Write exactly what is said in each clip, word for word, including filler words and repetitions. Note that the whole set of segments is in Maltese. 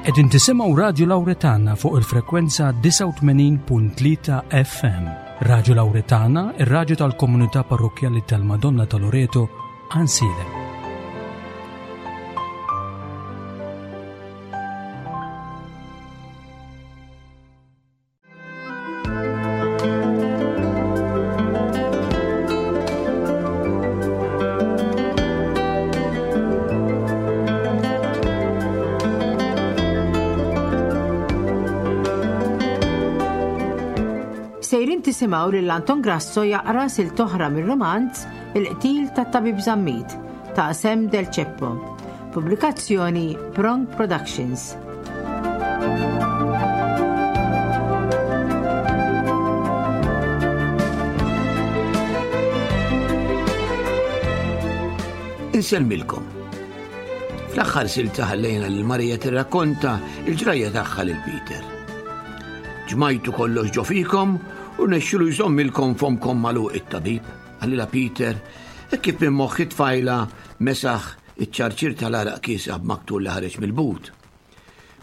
Qegħdin tisimgħu Radju Lawretana fuq il-frekwenza disgħa u tmenin punt tlieta F M. Radju Lawretana, ir-radju tal-komunità parrokkjali tal-Madonna ta' Loreto, Għajnsielem. Sejrin tisimgħu lil Anton Grasso jaqra silta oħra mir-romanz Il-qtil tat-Tabib Zammit ta' Sam Del Ceppo. Pubblikazzjoni Prong Productions. Insellmilkom. Fl-aħħar silta ħallejna lil Marija tirrakkonta il-ġrajja tagħha lil Peter. "Ġmajtu kollox ġo fikom u rnexxielu jżommilkom fomkom magħluq it-tabib," qalilha Peter, e kif minn moħħ it-tfajla mesaħ iċ-ċarċir tal-għaraq kiesaħ b'maktur li ħareġ mill-but.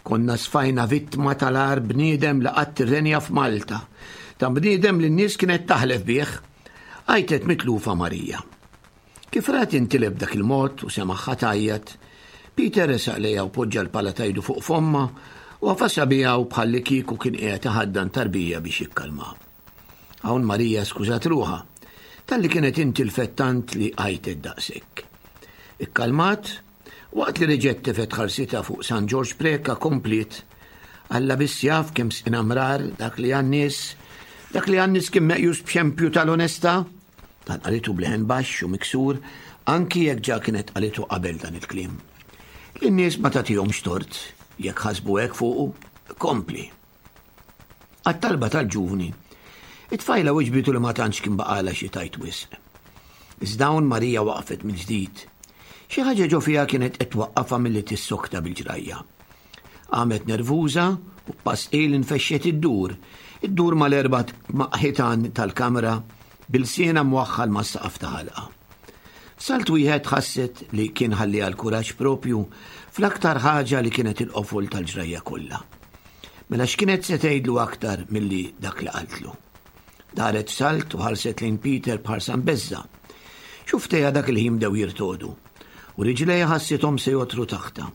"Konna sfajna vittma tal-agħar bniedem li qatt irrenja f'Malta, ta' bniedem li n-nies kienet taħlef bih," għajtet mitlufa Marija. Kif rat intilef dak il-mod u semagħha tgħajjat, Peter resaq lejha u poġġa l-pala t'idu fuq fomma u għafasha biha u bħalli kieku kien qiegħed iħaddan tarbija biex jikkalma. Hawn Marija skużat ruħha talli kienet intilfet tant li għajtet daqshekk. Ikkalmat, waqt li reġgħet tefgħet ħarsitha fuq San Ġorġ Preka kompliet: "Alla biss jaf kemm sqina mrar dak li għan-nies, dak li għan-nies kien meqjus b'xempju tal-onestà." Dan qalitu b'leħen baxx u miksur, anki jekk ġa kienet qalitu qabel dan il-kliem. "Lin-nies ma tagħtihomx tort, jekk ħasbu hekk fuqu, kompli." Għat-talba tal-ġuvni, it-tfajla wiġbitu li ma tantx kien baqagħlha xi tgħid wisq. Iżda hawn Marija waqfet mill-ġdid. Xi ħaġa ġo fiha kienet qed twaqqafha milli tissokta bil-ġrajja. Qamet nervuża u pass il infexxet iddur, iddur mal-erba' ħitan tal-kamra b'ilsienha mwaħħal mas-saqaf ta' ħalqha. Salt wieħed ħasset li kien ħalliha l-kuraġġ propju fl-aktar ħaġa li kienet il-qofol tal-ġrajja kollha. Mela x'kienet se tgħidlu aktar milli dak li qaltlu? Daret salt u ħarset lejn Peter b'ħarsa mbeżżgħa. Xufftejha dak il-ħin bdew jirtogħdu u riġlejha ħassithom se jogħtru taħtha.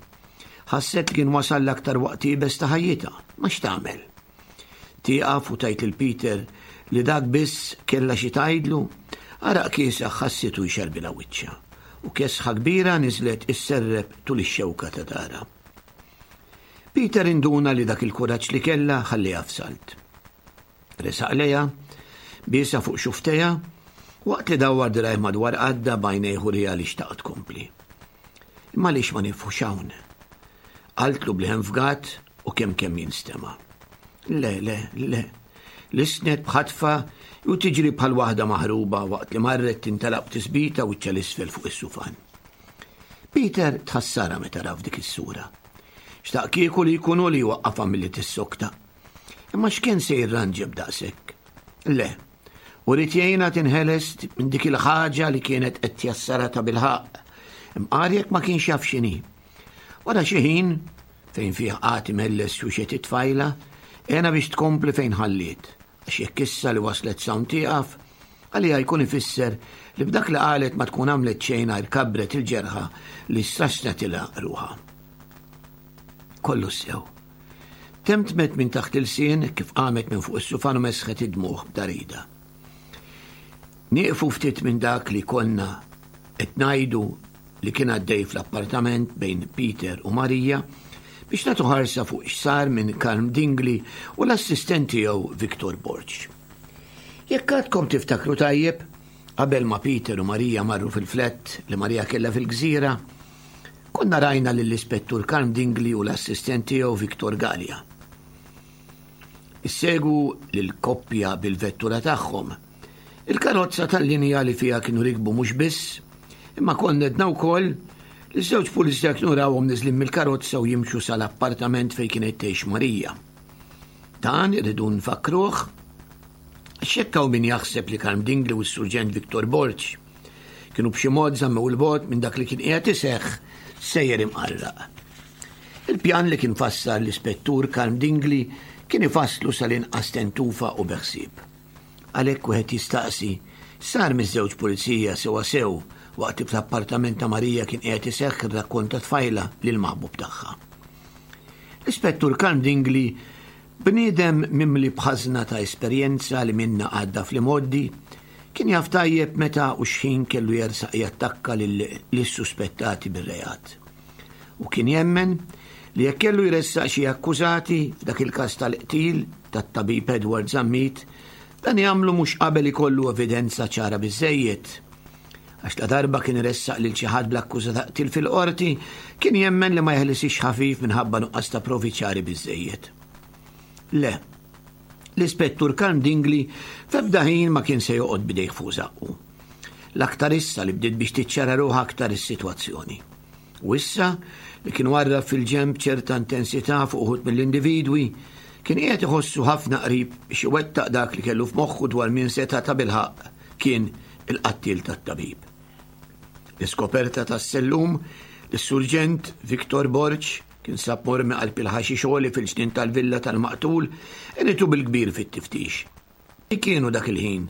Ħasset li kien wasal l-aktar waqt iebes ta' ħajjitha, ma x'tagħmel? Tieqaf u tgħid lil Peter li dak biss kellha xi tgħidlu? Għaraq kiesaħ ħassitu jxerbilha wiċċha u kesħa kbira niżlet isserreb tul ix-xewka ta' daharha. Peter induna li dak il-kuraġġ li kellha ħalliha f'salt. Resaq lejha, biesha fuq xufftejha, waqt li dawwar dirgħajh madwar qaddha, b'għajnejh uriha li xtaqt tkompli. "Imma għaliex ma nieqfux hawn?" qaltlu b'leħen fgat u kemm kemm jinstema'. "Le, le, le," lissnet b'ħatfa u tiġri bħal waħda maħruba waqt li marret tintelaq tisbita u 'l isfel fuq is-sufan. Peter tħassarha meta ra f'dik is-sura. Xtaq kieku li jkunu li waqqafha milli tissokta. Imma x'kien se jirranġa b'daqshekk? Le, u ried jgħinha tinħeles minn dik il-ħaġa li kienet qed tjassarha ta' bilħaqq. Imqar jekk ma kienx jaf x'inhi. Wara xi ħin, fejn fih qagħad imelles xuxet it-tfajla, għenha biex tkompli fejn ħalliet, għax jekk issa li waslet s'hawn tieqaf, għalija jkun ifisser li b'dak li qalet ma tkun għamlet xejn għajr kabbret il-ġerħa li straxxnatilha ruħha. "Kollu sew," temtmet minn taħt l-ilsien kif qamet minn fuq is-sufan u mesħet id-dmugħ b'darida. Nieqfu ftit minn dak li konna qed ngħidu li kien għaddej fl-appartament bejn Peter u Marija biex nagħtu ħarsa fuq x'sar minn Karm Dingli u l-assistent tiegħu Victor Borg. Jekk għadkom tiftakru tajjeb, qabel ma Peter u Marija marru fil-flat li Marija kellha fil-gżira, konna rajna lill-ispettur Karm Dingli u l-assistent tiegħu Victor Gallia isegwu lill-koppja bil-vettura tagħhom. Il-karozza tal-linja li fiha kienu rikbu mhux biss, imma konna għedna wkoll li żewġ pulizija kienu rawhom niżlin mill-karozza u jimxu sal-appartament fejn kienet tgħix Marija. Dan irridu nfakruh għax hawn min jaħseb li Karm Dingli u s-Surġent Victor Borg kienu b'xi mod żammew 'il bogħod minn dak li kien qiegħed iseħħ sejjer imqarraq. Il-pjan li kien fassal l-ispettur Karm Dingli kien ifasslu sal-inqas tentufa u beħsieb. Għalhekk wieħed jistaqsi, sar miż-żewġ pulizija sewa sew waqt li fl-appartament ta' Marija kien qiegħed iseħħ ir-rakkont ta' tfajla lil maħbub tagħha. L-ispettur Karm Dingli, bniedem mimli b'ħażna ta' esperjenza li minna għadda fl-imgħoddi, kien jaf tajjeb meta u x'ħin kellu jersaq jattakka lis-suspettati bir-reat. U kien jemmen li jekk kellu jressaq xi akkużati f'dak il-każ tal-qtil tat-tabib Edward Zammit, dan jagħmlu mhux qabel ikollu evidenza ċara biżejjed. Għax la darba kien iressaq lil xi ħadd bl-akkuża ta' qtil fil-qorti, kien jemmen li ma jeħlisix ħafif minħabba nuqqas ta' provi ċari biżejjed. Le, l-ispettur Karm Dingli f'ebda ħin ma kien se joqgħod bidejh fuq żaqqu. L-aktar issa li bdiet biex tiċċara ruħha aktar is-sitwazzjoni. U issa li kien warrab fil-ġenb ċerta intensità fuq uħud mill-individwi, kien qiegħed iħossu ħafna qrib biex iwettaq dak li kellu f'moħħu dwar min seta' tabilħaqq kien il-qattiel tat-tabib. L-iskoperta tas-sellum li s-surġent Victor Borg kien sab mormi qalb il-ħaxix għoli fil-ġnien tal-villa tal-maqtul għenitu bil-kbir fit-tiftix. Kienu dak il-ħin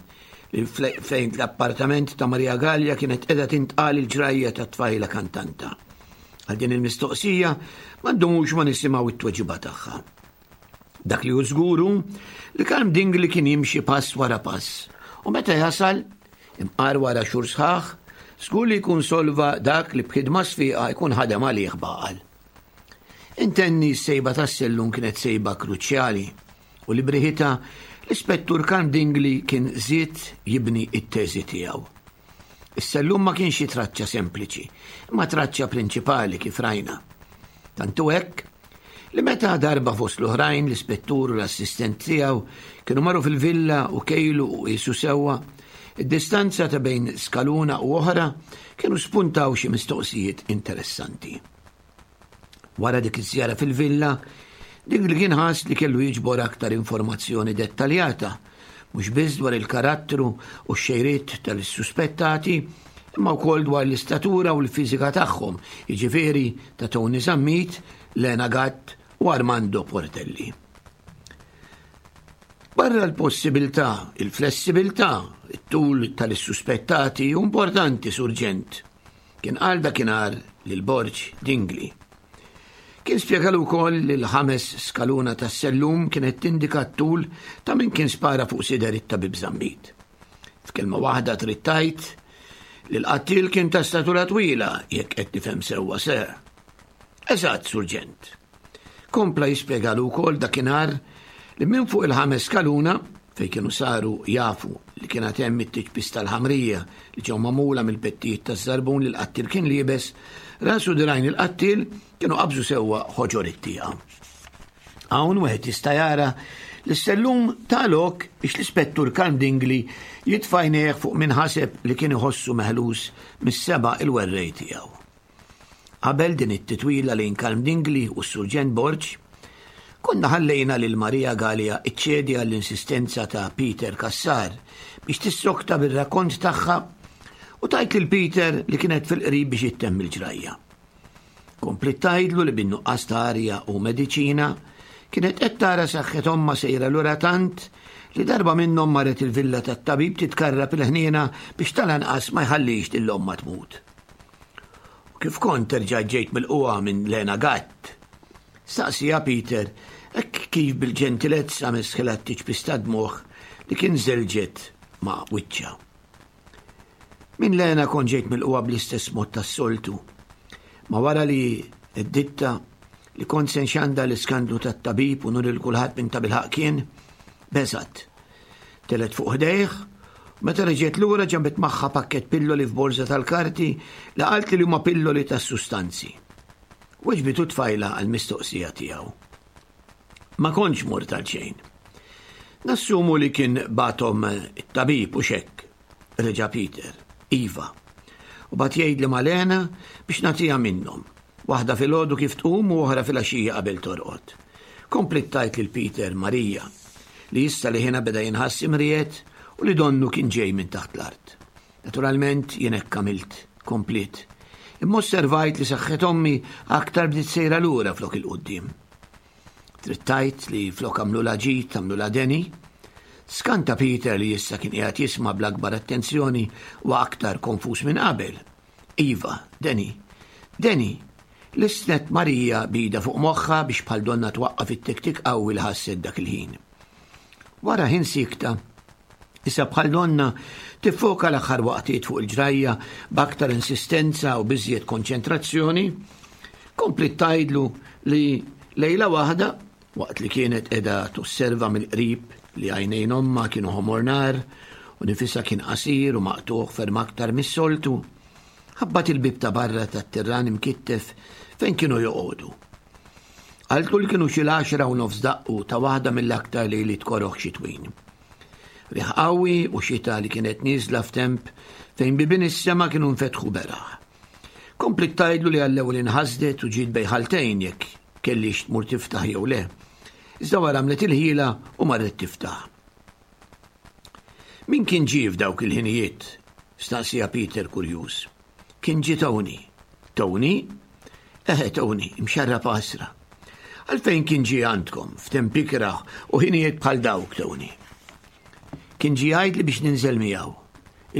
li fejn l-appartament ta' Maria Gallia kienet qiegħda tintqal il-ġrajja tat-tfajla kantanta. Għal din il-mistoqsija ma ndumux ma nisimgħu it-tweġiba tagħha. Dak li hu żguru li Karm Dingli kien jimxi pass wara pass u meta jasal imqar wara xhur sħaħ żgur li jkun solva dak li b'ħidma sfiqa jkun ħadem għalih baqal. Intenni s-sejba tas-sellum kienet sejba kruċjali u li briħita l-ispettur Karm Dingli kien żied jibni it-teżi tiegħu. Is-sellum ma kienx xi traċċa sempliċi, imma traċċa prinċipali kif rajna. Tantu hekk li meta darba fost l-oħrajn l-ispettur u l-assistent tiegħu kienu marru fil-villa u kejlu u qisu sewwa, id-distanza ta' bejn skaluna u oħra kienu spuntaw xi mistoqsijiet interessanti. Wara dik iż-żjara fil-villa, Dingli kien ħass li kellu jiġbor aktar informazzjoni dettaljata, mhux biss dwar il-karattru u x-xejriet tal-suspettati, imma wkoll dwar l-istatura u l-fiżika tagħhom, jiġifieri ta' Tony Zammit, Lena Gatt u Armando Portelli. Barra l-possibilità, il-flessibilità, it-tul tal-suspettati hu importanti, surġent, kien qal dakinhar lil Borg Dingli. Kien spjegalu wkoll li l-ħames skaluna tas-sellum kienet tindika t-tul ta' min kien spara fuq sider it-tabib Zammit. F'kelma waħda trid tgħid li l-qattil kien ta' statura twila jekk qed nifhem sewwa ser. Eżatt, surġent. Kompla jispjegalu wkoll dakinhar li minn fuq il-ħames skaluna fejn kienu saru jafu li kienet hemm it-tiċpis tal-ħamrija li ġew magħmula mill-pettijiet taż-żarbun li l-qattil kien liebes, rasu dirajn il-qattil kienu qabżu sewwa ħoġor it-tieqa. Hawn wieħed jista' jara li s-sellum ta lok biex l-ispettur Karm Dingli jitfa' għajnejh fuq min ħaseb li kien iħossu meħlus mis-seba' il-werrej tiegħu. Qabel din it-titwila lejn Karm Dingli u s-Surġent Borg, konna ħallejna lil Maria Gallia iċċedi għall-insistenza ta' Peter Cassar biex tissokta bir-rakkont tagħha u tajt lil Peter li kienet fil-qrib biex ittemm il-ġrajja. Kompliet tgħidlu li bin-nuqqas ta' arja u mediċina kienet qed tara saħħet ommha sejra lura tant li darba minnhom marret il-villa tat-tabib titkarrab il-ħniena biex tal-anqas ma jħallix lil ommha tmut. U kif kont terġa' ġejt mill-qwa minn Lena Gatt? Staqsija Peter hekk kif bil-ġentilezza mesħilha t-tiċpis ta' dmugħ li kien żelġet ma' wiċċha. Minn Lena kont ġejt mill-qwa bl-istess mod tas-soltu. Ma wara li d-ditta li kont se nxanda l-iskandlu tat-tabib u nuri lil kulħadd minn tabilħaq kien, beżat. Telet fuq ħdejh, u meta reġgħet lura ġabet magħha pakkett pilloli f'borża tal-karti li qalt li huma pilloli tas-sustanzi. Weġbitu tfajla għall-mistoqsija tiegħu. Ma kontx mort għal xejn. Nassumu li kien batom it-tabib u xekk, reġa' Peter, iva. U bat jgħid li Malena biex nagħtiha minnhom, waħda filgħodu kif tqum u oħra filgħaxija qabel torqod. Kompliet tgħid lil Peter Marija li issa li ħina beda jinħass imriet u li donnu kien ġej minn taħt l-art. Naturalment jien hekk għamilt, kompliet. Imma osservajt li saħħet ommi aktar bdiet sejra lura flok 'il quddiem. Trid tgħid li flok għamlulha ġid għamlulha deni? Skanta Peter li issa kien qiegħed jisma' bl-akbar attenzjoni u aktar konfuż minn qabel. Iva, deni. Deni. Lissnet Marija b'idha fuq moħħha biex bħal donna twaqqaf it-tiktik qawwi li ħasset dak il-ħin. Wara ħin sikta, issa bħal donna tiffoka l-aħħar waqtiet fuq il-ġrajja b'aktar insistenza u b'iżjed konċentrazzjoni, kompliet tgħidlu li lejla waħda, waqt li kienet qiegħda tosserva mill-qrib li għajnejn ommha kienu ħomor nar u nifisha kien qasir u maqtugħ ferm aktar mis-soltu, ħabbat il-bib ta' barra tat-tirran imkittef fejn kienu joqogħdu. Qaltlu li kienu xi l-għaxra u nofs daqqu ta' waħda mill-aktar lejliet koroh xitwin. Riħ qawwi u xita li kienet nieżla f'temp fejn bibien is-sema kienu nfetħu beraħ. Kompliet tgħidlu li għall-ewwel inħasdet u ġiet bejn ħaltejn jekk kellhiex tmur tiftaħ jew le. Iżda wara għamlet il-ħila u marret tiftaħ. Min kien ġie f'dawk il-ħinijiet? Staqsieha Peter kurjuż. Kien ġie Tony. Tony? Eħe Tony, imxarrab għasra. Għalfejn kien ġie għandkom f'temp ikrah u ħinijiet bħal dawk, Tony? Kien ġie jgħidli biex ninżel miegħu,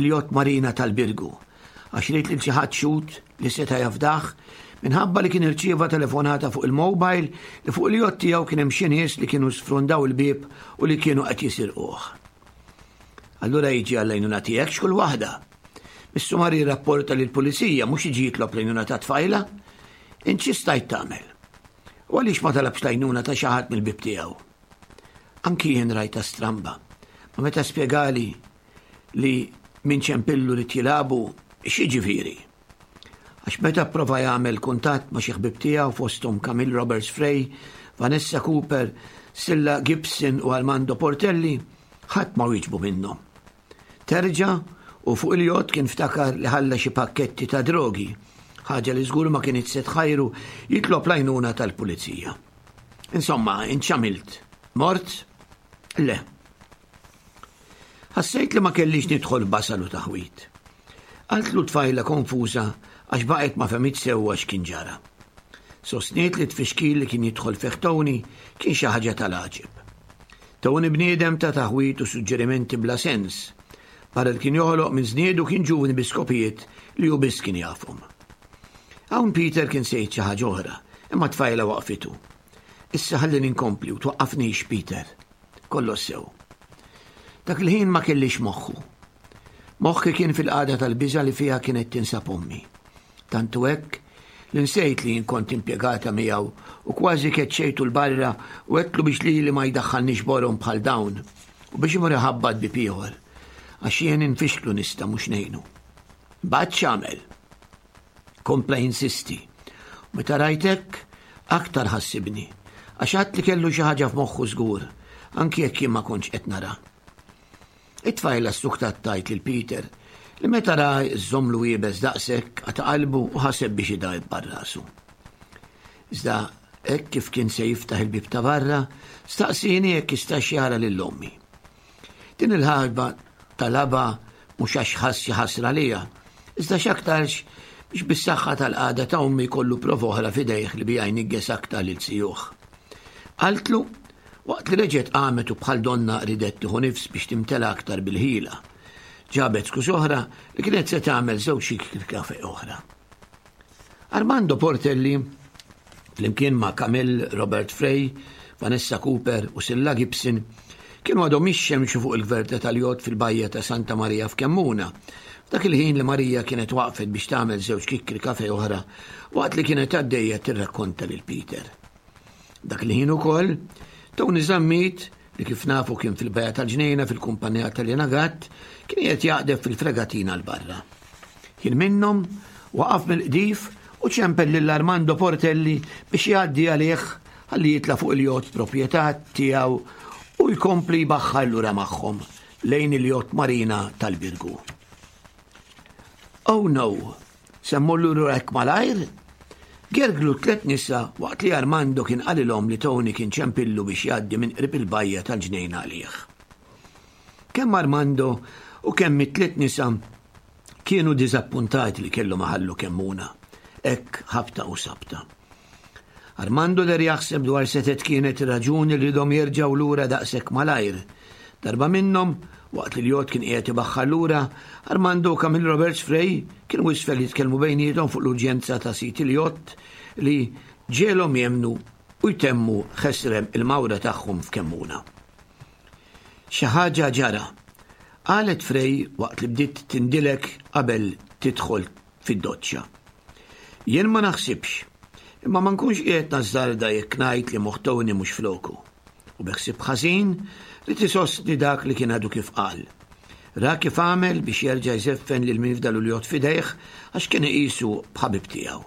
il-jott marina tal-Birgu, għax ried lil xi ħadd xhud li seta' jafdah minħabba li kien irċieva telefonata fuq il-mobile li fuq il-jott tiegħu kien hemm xi nies li kienu sfrundaw il-bieb u li kienu qed jisirquh. Allura jiġi għall-għajnuna tiegħek x'kull waħda. Missu mar jirrapporta lill-pulizija mhux jiġi jitlob l-għajnuna ta' tfajla. Int xi stajt tagħmel? U għaliex ma talabx l-għajnuna ta' xi ħadd mill-ħbieb tiegħu? Anki jien rajtha stramba. Ma meta spjegali li min ċempillu li jilagħbu, x'jiġifieri? Għax meta prova jagħmel kuntatt ma' xi ħbieb tiegħu fosthom Camille Roberts Frey, Vanessa Cooper, Silla Gibson u Armando Portelli, ħadd ma wieġbu minnhom. Terġa' u fuq il-jott kien ftakar li ħalla xi pakketti ta' drogi, ħaġa li żgur ma kienet se tħajru jitlob l-għajnuna tal-pulizija. Insomma, int x'għamilt? Mort? Le. Ħassejt li ma kellix nidħol basal u taħwit. Qaltlu tfajla konfuża għax baqgħet ma fehmitx sewwa x'kien ġara. Sostniet li tfixkil li kien jidħol fih Tony kien xi ħaġa tal-għaġeb. Tony bniedem ta' taħwit u suġġerimenti bla sens. Barra li kien joħloq minn żniedu kien ġuvni bi skopijiet li hu biss kien jafhom. Hawn Peter kien se jgħid xi ħaġa oħra, imma tfajla waqfitu. Issa ħallini nkompli u twaqqafnix Peter. Kollox sew. Dak il-ħin ma kellix moħħu. Moħħi kien fil-qagħda tal-biża' li fiha kienet tinsab ommi. Tantu hekk li nsejt li jien kont impjegata miegħu u kważi keċċejtu 'l barra u għedtlu biex lili ma jdaħħalnix borom bħal dawn u biex imur iħabbat bieb ieħor għax jien infixklu nista' mhux ngħinu. Mbagħad x'għamel? Kompla jinsisti. U meta rajtek aktar ħassibni għax għad li kellu xi ħaġa f'moħħu żgur, anki jekk jien ma kontx qed nara. It-tfajla ssuktat tgħid lil Peter li meta ra żżommlu iebes daqshekk qata' qalbu u ħaseb biex idabbar rasu. Iżda hekk kif kien se jiftaħ il-bib ta' barra, staqsieni jekk jistax jara lil ommi. Din il-ħarba talabha mhux għax ħass xi ħasra lija, iżda x'aktarx biex bis-saħħa tal-qagħda ta' ommi jkollu prova oħra f'idejh li biha jnigges aktar lil zijuh. Qaltlu waqt li reġgħet qamet u bħal donna ridet tieħu nifs biex timtela aktar bil-ħila. Ġabet skuż oħra li kienet se tagħmel żewġ xikri kafe oħra. Armando Portelli, flimkien ma' Camille Robert Frey, Vanessa Cooper u Silla Gibson, kienu għadhom jixxemxu fuq il-gverta tal-jott fil-bajja ta' Santa Maria f'Kemmuna. F'dak il-ħin li Marija kienet waqfet biex tagħmel żewġ kikkri kafe oħra waqt li kienet għaddejja tirrakkonta lil Peter. Dak il-ħin ukoll, Tony Zammit, li kif nafu kien fil-bajja tal-ġnejna fil-kumpanija tal-Lina Gatt, kien qed jaqdef fil-fregatina 'l barra. Kien minnhom waqaf mill-qdif u ċempel lil Armando Portelli biex jgħaddi għalih ħalli jitla' fuq il-jott proprjetà tiegħu u jkompli jbaħħar lura magħhom lejn il-jott marina tal-Birgu. Oh no, se mmur lura hekk malajr? Gerglu tliet nisa waqt li Armando kien qalilhom li Tony kien ċempillu biex jgħaddi minn qrib il-bajja tal-ġnejna għalih. Kemm Armando u kemm it-tliet nisa kienu diżappuntati li kellhom iħallu Kemmuna. hekk ħabta u sabta. Armando der jaħseb dwar setet kienet raġuni li dom jerġgħu lura daqshekk malajr. Darba minnhom, waqt li l-jott kien qiegħed ibaħħar lura, Armando u Camille Roberts Frey kienu isfel jitkellmu bejniethom fuq l-urġenza ta' sit il-jott li ġiegħelhom jemmnu u jtemmu ħesrem il-mawra tagħhom f'Kemmuna. Xi ħaġa ġara, qalet Frey waqt li bdiet tindilek qabel tidħol fid-doċċa. Jien ma naħsibx, imma ma nkunx qiegħed nażżarda jekk ngħid li moħħ Tony mhux floku. U bi ħsieb ħażin li tisostni dak li kien għadu kif qal. Ra kif għamel biex jerġa' jżeffen lil min fdalu l-jott f'idejh għax kien iqisu b'ħabib tiegħu.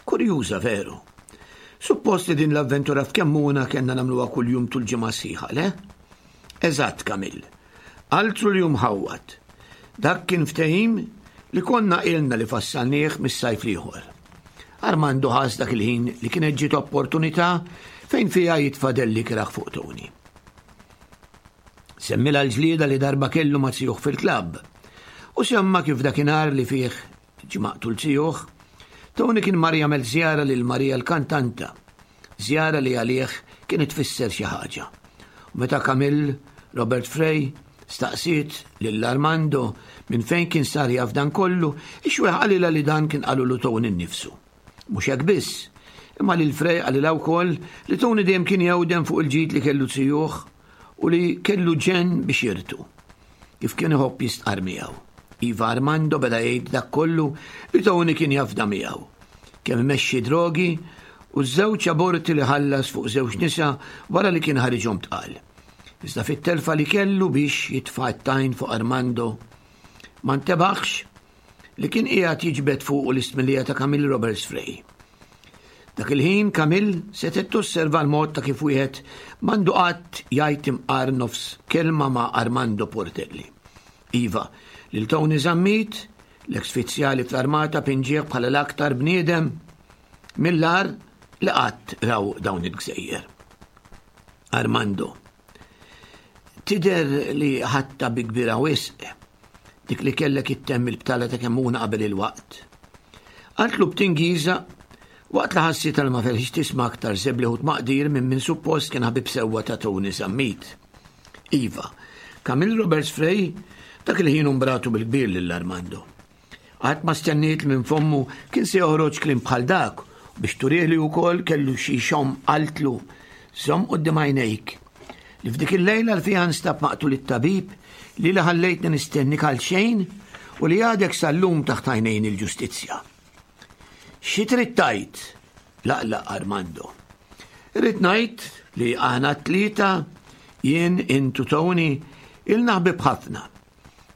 Kurjuża veru. Suppost li din l-avventura f'Kemmuna kellna nagħmluha kuljum tul ġimgħa sħiħa, le? Eżatt, Camille. Altru li mħawwad. Dak kien ftehim li konna ilna li fassalnieh mis-sajf l-ieħor. Armando ħass dak il-ħin li kienet ġiet opportunità fejn fiha jitfa' dell ikrah fuq Tony. Semmilha l-ġlieda li darba kellu ma' zijuh fil-klabb u semma kif dakinhar li fih ġie maqtul zijuh, Tony kien mar jagħmel żjara lil Marija l-kantanta, żjara li għalih kienet tfisser xi ħaġa. U meta Camille Robert Frey staqsiet lil Armando minn fejn kien sar jaf dan kollu, ix-xwieħ qalilha li dan kien qalulu Tony nnifsu. Mhux hekk biss, imma lil Frey qalilha wkoll li Tony dejjem kien jewden fuq il-ġid li kellu zijuh u li kellu ġenn biex jirtu, kif kien iħobb jistqar miegħu. Iva Armando beda jgħid dak kollu li Tony kien jafda miegħu, kemm imexxi drogi u żewġ aborti li ħallas fuq żewġ nisa wara li kien ħariġhom tqal. Iżda fit-telfa li kellu biex jitfa' t-tajn fuq Armando, ma ntebaħx li kien qiegħed jiġbed fuqu l-istmillija ta' Camille Roberts Frey. Dak il-ħin Camille setgħet tosserva l-mod ta' kif wieħed m'għandu qatt jgħid imqar nofs kelma ma' Armando Portelli. Iva, lil Tony Zammit, l-eks fizzjali fl-armata pinġieħ bħala l-aktar bniedem mill-ar li qatt raw dawn il-gżejjer. Armando, tidher li ħadtha bi kbira wisq dik li kellek ittemm il-btala ta' Kemmuna qabel il-waqt. Qaltlu b'tingiża waqt li ħassitha li ma felħitx tisma' aktar żebli u tmaqdir minn min suppost kien ħabib sewwa ta' Tony Zammit. Iva, Camille Roberts Frey dak il-ħin umbratu bil-kbir lil Armando. Qatt ma stenniet li minn fommu kien se joħroġ kliem bħal dak biex turih li wkoll kellu xi xom qaltlu żomm quddiem għajnejk li f'dik il-lejla li fiha nstab maqtul it-tabib li li ħallejtni nistennik għal xejn u li għadek sal-lum taħt għajnejn il-ġustizzja. Xi trid tgħid? Laqlaq Armando. Irrid ngħid li aħna t-tlieta, jien, int u Tony, ilna ħbieb ħafna.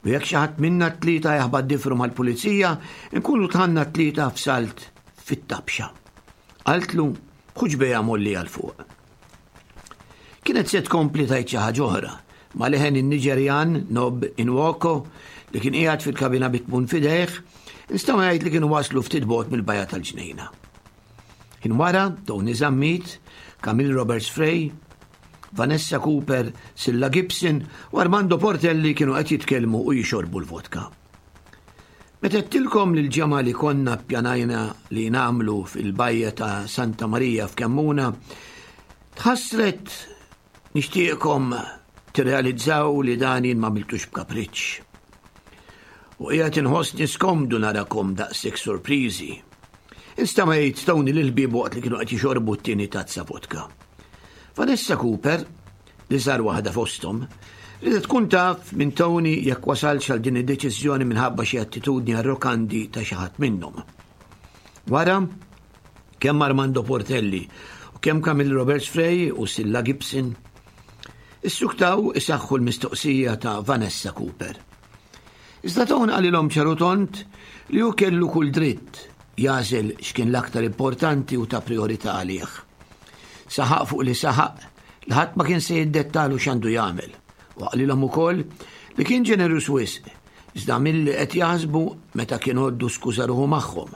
U jekk xi ħadd minna t-tlieta jaħbad difru mal-pulizija, nkunu tħanna t-tlieta f'salt fit-tabxa. Qaltlu b'ħuġbejha molli għal fuq. Kienet se tkompli tgħid xi ħaġa oħra, ma leħen in-Niġerjan Nob Inwoko li kien qiegħed fil-kabina bit-tmun f'idejh, nistgħu ngħid li kienu waslu ftit bogħod mill-bajja tal-ġnejna. Kien wara Tony Zammit, Camille Roberts Frey, Vanessa Cooper, Silla Gibson u Armando Portelli kienu qed jitkellmu u jixorbu l-vodka. Meta għedtilkom li l-ġemgħa li konna ppjanajna li nagħmlu fil-bajja ta' Santa Marija f'Kemmuna, tħassret nixtieqkom tirrealizzaw li dan jien ma għamiltux b'kapriċċ. U qiegħed inħossni skomdu narakom daqshekk sorpriżi. Instama' jgħid Tony lil ħbiebu waqt li kienu qed jixorbu t-tieni tazza vodka. Vanessa Cooper, li sar waħda fosthom, ridet tkun taf minn Tony jekk wasalx għal din id-deċiżjoni minħabba xi attitudni arrokanti ta' xi ħadd minnhom. Wara, kemm Armando Portelli u kemm Camille Roberts Frey u Silla Gibson issuktaw isaħħu l-mistoqsija ta' Vanessa Cooper. Iżda Tony qalilhom ċar u tond li hu kellu kull dritt jagħżel x'kien l-aktar importanti u ta' priorità għalih. Saħaq fuq li saħaq li ħadd ma kien se jiddettalu x'għandu jagħmel u qalilhom ukoll li kien ġenerus wisq iżda milli qed jaħsbu meta kien għoddu skuża ruħu magħhom.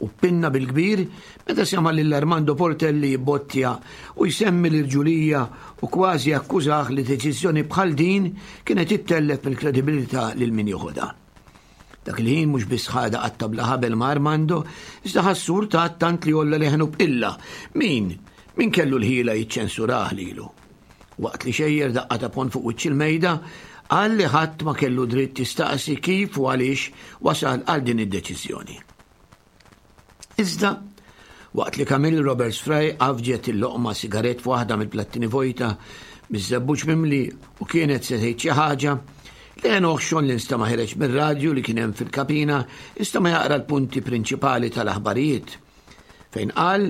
U pinna bil-kbir meta sema lil Armando Portelli jibbottja u jsemmi l-irġulija u kważi akkużah li deċiżjoni bħal din kienet ittellef mill-kredibilità lil min joħodha. Dak il-ħin mhux biss ħadha qatta bla ħabel ma' Armando, iżda ħassu urtat tant li għolla leħnu b'qilla. Min? Min kellu l-ħila jiċċensurah lilu? Waqt li xejjer daqqa ta' ponn fuq wiċċ il-mejda, qal li ħadd ma kellu dritt jistaqsi kif u għaliex wasal għal din id-deċiżjoni. Iżda, waqt li Camille Roberts Fry għafġet il-loqma sigarett f'waħda mill-plattini vojta miż-żebbuġ mimli u kienet se tgħid xi ħaġa, leħen oħxon li nstama' ħereġ mir-radju li kien hemm fil-kabina nstama' jaqra l-punti prinċipali tal-aħbarijiet, fejn qal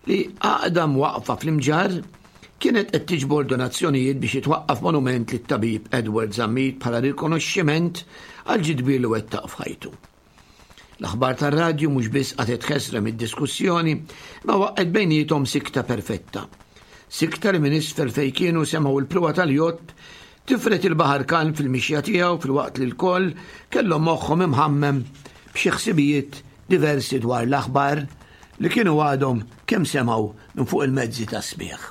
li għaqda mwaqqfa fl-Imġarr kienet qed tiġbor donazzjonijiet biex jitwaqqaf monument lit-tabib Edward Zammit bħala rikonoxximent għal ġid kbir li wettaq f'ħajtu. L-aħbar tar-radju mhux biss qatgħet ħesrem id-diskussjoni, ma waqqgħet bejniethom sikta perfetta. Sikta li minn isfel fejn kienu semgħu l-pruwa tal-jott tifret il-baħar kalm fil-mixja tiegħu filwaqt li l-koll kellhom moħħhom imħammem b'xi ħsibijiet diversi dwar l-aħbar li kienu għadhom kemm semgħu minn fuq il-mezzi tas-smigħ.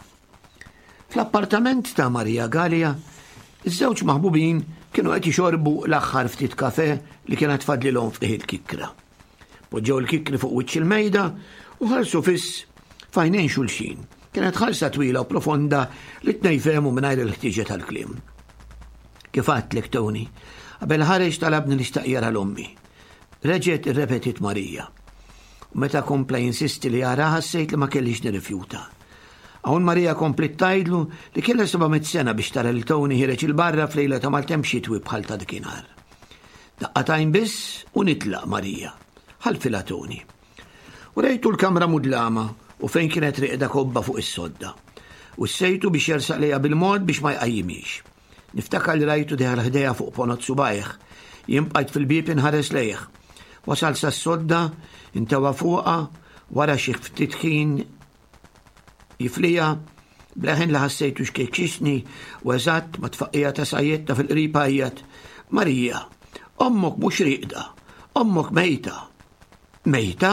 Fl-appartament ta' Maria Galea, iż-żewġ maħbubin kienu qed jixorbu l-aħħar ftit kafe li kienet fadlilhom f'qiegħ il-kikra. Poġġew il-kikri fuq wiċċ il-mejda u ħarsu fiss f'għajnejn xulxin. Kienet ħarsa twila u profonda li tnejn fehmu mingħajr il-ħtieġa tal-kliem. Kif għedtlek Tony, qabel ħareġ talabni li xtaq jara l-ommi. Reġgħet irrepetit Marija. U meta kompla jinsisti li jara ħassejt li ma kellix nirrifjuta. Hawn Marija kompliet tgħidlu li kellha seba' mitt sena biex tara lil Tony ħiereġ il-barra f'lejla ta' maltemp xitwi bħal ta' dakinhar. Daqqa t'għajn biss u nitlaq Marija, ħalfilha Tony. U rejtu l-kamra mudlama u fejn kienet riqda kobba fuq is-sodda. U sejtu biex jersaq lejha bil-mod biex ma jqajjimix. Niftakar li rajtu deħel ħdejha fuq ponot subajh. Jien bqajt fil-bieb inħares lejh. Wasal sas-sodda, intewa fuqha, wara xi ftit ħin jiflija, bleħen li ħassejtu xkejkxisni u eżatt ma tfaqqija ta' sajjetta fil-qrib għajjat. Marija, ommok mhux riqda, ommok mejta. Mejta?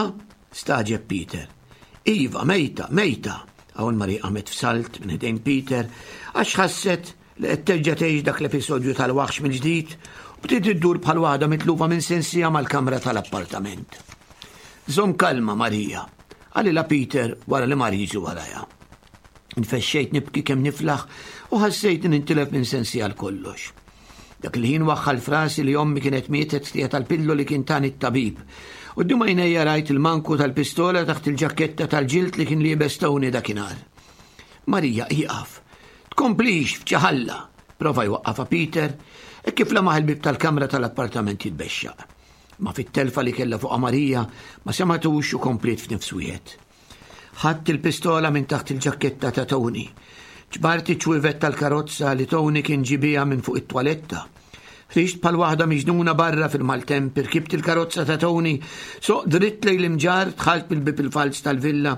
Staġeb Peter. Iva, mejta, mejta. Hawn Marija qamet f'salt minn ħdejn Peter għax ħasset li qed terġa' tgħix dak l-episodju tal-waħx mill-ġdid u bdiet iddur bħal waħda mitlufa minn sensija mal-kamra tal-appartament. Żomm kalma, Marija, qalilha Peter wara li mar jiġi warajha. Infexxejt nibki kemm niflaħ u ħassejt nintilef minn sensi għal kollox. Dak il-ħin waħħal frasi li ommi kienet mietet ftija tal-pillu li kien tani t-tabib. U quddiem għajnejja rajt il-manku tal-pistola taħt il-ġaketta tal-ġild li kien liebes Tony dakinhar. Marija, ieqaf. Tkomplix f'ċaħalla, prova jwaqqafha Peter, e kif lemaħ il-bib tal-kamra tal-appartament jitbexxaq. Ma fit-telfa li kellha fuq Marija ma sematux u kompliet f'nifs wieħed. Ħadt il-pistola minn taħt il-ġaketta ta' Tony. Ġbart iċ-ċwievet tal-karozza li Tony kien ġibija minn fuq it-twaletta. Ħriġt bħal waħda miġnuna barra fil-maltemp, irkibt il-karozza ta' Tony, soq dritt lejn l-Imġarr, dħalt mill-bib il-falz tal-villa,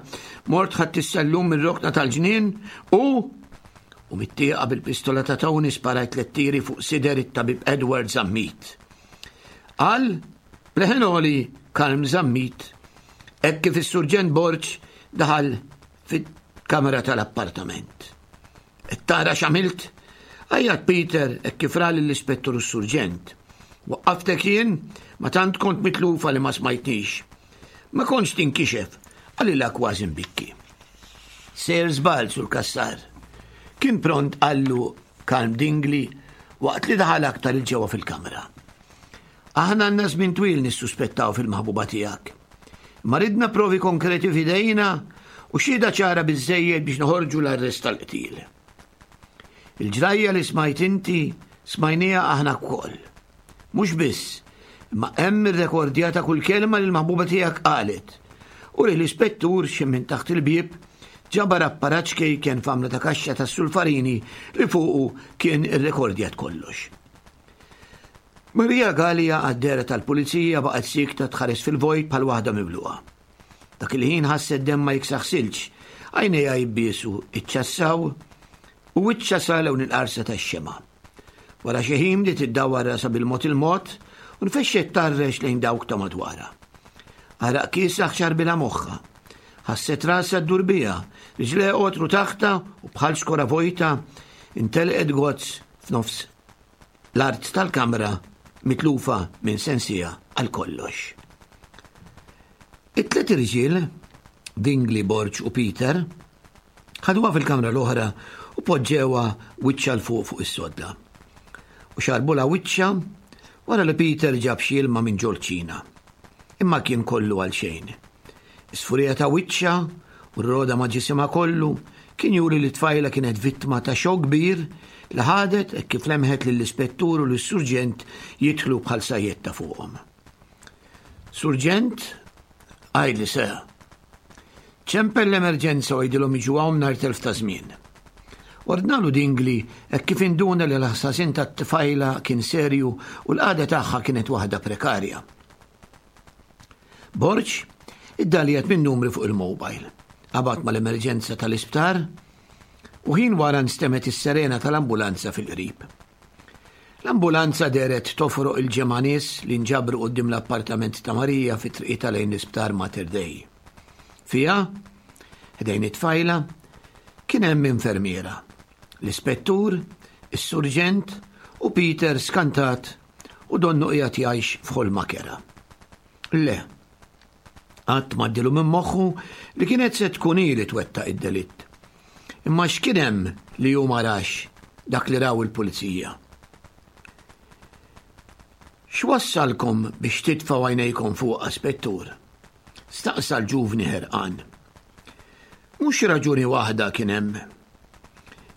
mort ħadt is-sellum mir-rokna tal-ġnien u u mit-tieqa bil-pistola ta' Tony sparajt tliet tiri fuq sider it-tabib Edward Zammit. Qal b'leħen għoli Kalm Zammit, hekk kif is-Surġent Borg daħal fit-kamera tal-appartament. Qed tara x'għamilt? Għajjat Peter hekk kif ra lill-ispettur u s-surġent. Waqqaftek jien, ma tant kont mitlufa li ma smajtnix. Ma kontx tinkixef, qalilha kważi mbikki. Sejjer żball sur Cassar. Kien pront qallu Kalm Dingli waqt li daħal aktar il-ġewwa fil-kamra. Aħna għandna żmien twil nissuspettaw fil-maħbuba tiegħek. Ma ridna provi konkreti f'idejna u xhieda ċara biżżejjed biex noħorġu l-arrest tal-qtil. Il-ġrajja li smajt inti smajnija aħna wkoll. Mhux biss, imma hemm irrekordjata kull kelma li l-maħbuba tiegħek qalet. U li l-ispettur xi minn taħt il-bieb ġabar apparat ċkejken f'għamla ta' kaxxa tas-sulfarini li fuqu kien irrekordjat kollox. Maria Galea għad-dehra tal-pulizija baqgħet sikta tħares fil-vojt bħal waħda mibluqa. Dak il-ħin ħasset demma jiksaħ silġ, għajnejha jibbiesu iċċassaw u wiċċha sa lewn il-qarsa tax-xema. Wara xi ħin bdiet iddawwar rasha bil-mod il-mod u nfexxet tarrex lejn dawk ta' madwarha. Għaraq kiesaħ xarbilha moħħha. Ħasset rasha ddur biha, riġlejha qotru taħta u bħal xkora vojta intelqet gozz f'nofs l-art tal-kamra mitlufa minn sensiha għal kollox. It-tliet irġiel, Dingli, Borg u Peter, ħaduha fil-kamra l-oħra u poġġewha wiċċha 'l fuq fuq is-sodda. U xarbulha wiċċha wara li Peter ġab xi ilma minn ġol-kċina. Imma kien kollu għal xejn. Is-sfurija ta' wiċċha u r-roda ma' ġisimha kollu kien juri li tfajla kienet vittma ta' xokk kbir li ħadet hekk kif lemħet lill-ispettur u lis-surġent jidħlu bħal sajjetta fuqhom. Surġent, għidli se. Ċempel l-emerġenza u għidilhom jiġu hawn mingħajr telf ta' żmien. Ordnalu Dingli hekk kif induna li l-ħasasin tat-tfajla kien serju u l-qagħda tagħha kienet waħda prekarja. Borg iddaljat minn numri fuq il-mobile. Qabad mal-emerġenza tal-isptar u ħin wara nstemet is-serena tal-ambulanza fil-qrib. L-ambulanza dehret tofroq il-ġemgħa nies li nġabru quddiem l-appartament ta' Marija fi triqitha lejn l-isptar Mater Dei. Fiha, ħdejn it-tfajla, kien hemm infermiera, l-ispettur, is-surġent u Peter skantat u donnu qiegħed jgħix f'ħolma kerha. Le, qatt m'għaddielu minn moħħu li kienet se tkun hi li twettaq id-delitt. Imma x'kien hemm li hu ma rax dak li raw il-pulizija? X'wassalkom biex titfgħu għajnejkom fuq spettur? Staqsa l-ġuvni ħerqan. Mhux raġuni waħda kien hemm.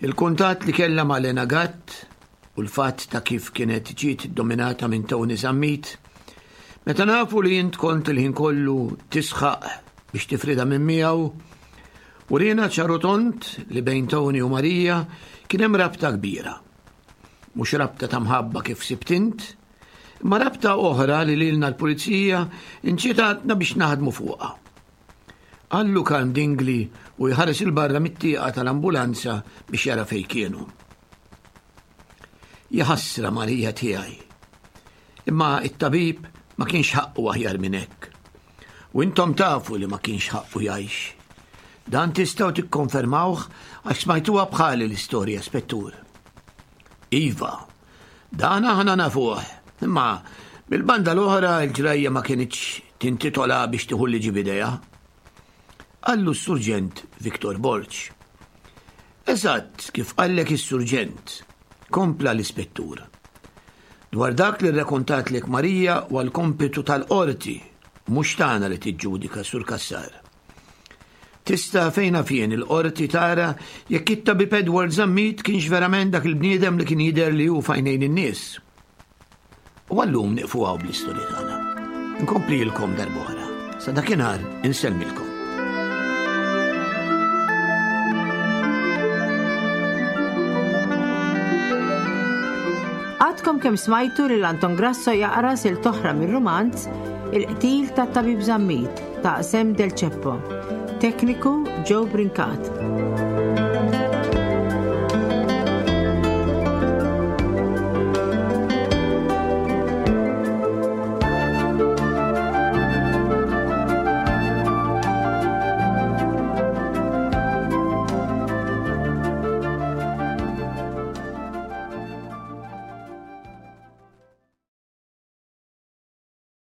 Il-kuntatt li kellha ma' Lena Gatt u l-fatt ta' kif kienet ġiet dominata minn Tony Zammit, meta nafu li int kont il-ħin kollu tisħaq biex tifrida minn miegħu, urina ċar u tond li bejn Tony u Marija kien hemm rabta kbira. Mhux rabta ta' mħabba kif sibt int, imma rabta oħra li lilna l-pulizija inċitatna biex naħdmu fuqha. Qallu Kalm Dingli u jħares il-barra mit-tieqa tal-ambulanza biex jara fejn kienu. Jaħasra Marija tiegħi. Imma it-tabib ma kienx ħaqqu aħjar minn hekk. U intom tafu li ma kienx ħaqqu jgħix. Dan tistgħu tikkonfermawh għax smajtuha bħali l-istorja, spettur. Iva, dan aħna nafuh, imma bil-banda l-oħra l-ġrajja ma kinitx tintitola biex tieħu liġi b'idejha. Qallu s-surġent Victor Borg. Eżatt kif qallek is-surġent, kompla l-ispettur. Dwar dak li rrakontatlek Marija huwa l-kompitu tal-qorti, mhux tagħna li tiġġudika Sur Cassar. Tista' fejna fien il-qorti tara jekk it-tabib Edward Zammit kienx verament dak il-bniedem li kien jidher li hu f'għajnejn in-nies. U għallum nieqfu hawn bl-istorja tagħna. Nkomplilkom darb'oħra. Sa dakinhar insellmilkom. Għadkom kemm smajtu lil Anton Grasso jaqra silta oħra mir-rumanz Il-qtil tat-tabib Zammit ta' Sam Del Ceppo. Tekniku Joe Brincat.